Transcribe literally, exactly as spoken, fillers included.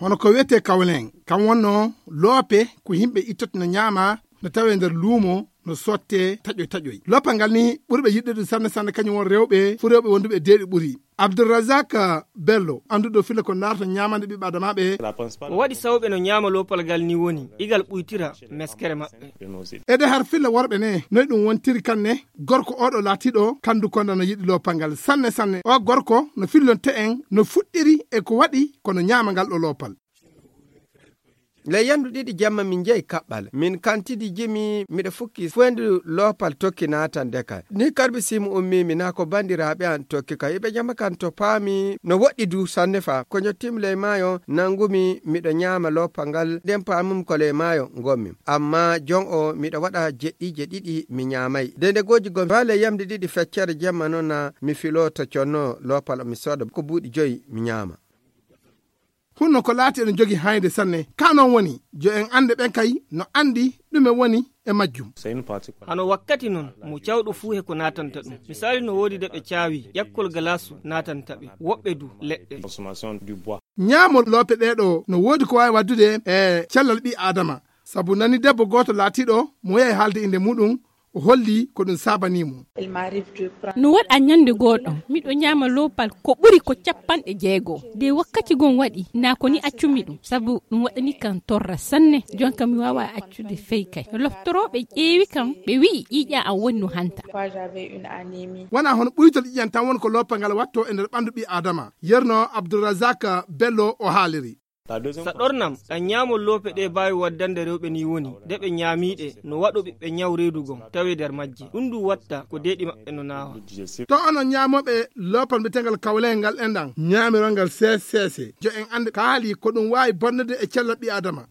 Hono ko wiyetee kawlen, kam wonnoo loope ko yimɓe ittoto no ñaama, no tawee nder luumo, no sottee taƴoy taƴoy. Loopal ngal ni ɓurɓe yiɗde ɗum sanne sanne kañum won rewɓe, fuu rewɓe wonduɓe e deeɗi ɓuri. Abdourazak Bello, annduɗo filla ko naata ñaamande ɓiɓɓe adamaaɓe. Ko waɗi sawɓe no ñaama loopal ngal ni woni, igal ɓuytira meskere maɓɓe. Ede har filla worɓe ne, noy ɗum wontiri kanne, gorko oɗo laatiɗo kandu konda no yiɗi loopal ngal sanne sanne. O gorko no fillonte en no fuɗɗiri e ko waɗi kono ñaama ngal ɗo loopal. Ley yamdu ɗiɗi jemma min njehi kaɓɓal. Min kantidi jimi miɗo fukki foyndu loopal tokki naatan dekal. Ni karbi simu ummi mi naa ko bandiraaɓe an tokki ka. Iɓe jama kan to paami no woɗɗi du sanne fa. Ko ñottimi ley maayo nangumi miɗo ñaama loopal ngal. Ɗen paamum ko ley maayo ngonmi. Amma jon o miɗo waɗa jeɗɗiije ɗiɗi mi ñaamay. Dende goji gom fa ley yamdu ɗiɗi feccere jemma noon na mi filo to conno loopal mi sooda ko buuɗi joyi mi ñaama. Hunno ko laati ene jogi haayde sanne. Ka noon woni, jo en annde ɓen kay no anndi ɗume woni e majjum. Hano wakkati noon mo cawɗo fuu he ko naatanta ɗum. Misali no woodi de ɓe caawi, ƴakkol galaasu naatanta ɓe. Woɓɓe du, leɗɗe. Ñaamo loope ɗee ɗo no woodi ko waawi waddude e cellal ɓii Aadama. Sabu nani debbo gooto laatiiɗo mo yehi haalde innde muɗum, o holli ko ɗum saabanii mo. No waɗa ñande gooɗo miɗo ñaama loopal ko ɓuri ko capanɗe jeego. De wakkati gon waɗi naa ko ni accumi ɗum sabu ɗum waɗani kan torra sanne. Jonka mi waawa accude fey kay. Loftorooɓe ƴeewi kan ɓe wi'i ƴiiƴa an woni no hanta. Wonaa hono ɓuytol ƴiƴan tan woni ko loopal ngal wattoo e nder ɓanndu ɓii Aadama. Yerno Abdourazak Bello o haaliri. Sa ɗornam ɗan ñaamol loope ɗe baawi waddande rewɓe ni woni de ɓe ñaamiiɗe no waɗo ɓiɓɓe ñaw reedu gon tawi nder majje. Ɗum du watta ko deeɗi maɓɓe no naawa. To onon ñaamooɓe loopal mbiyetengal kawleyel ngal enɗan ñaamirol ngal seese seese. Jo en annde kaali ko ɗum waawi bonnude e cellal ɓii Aadama.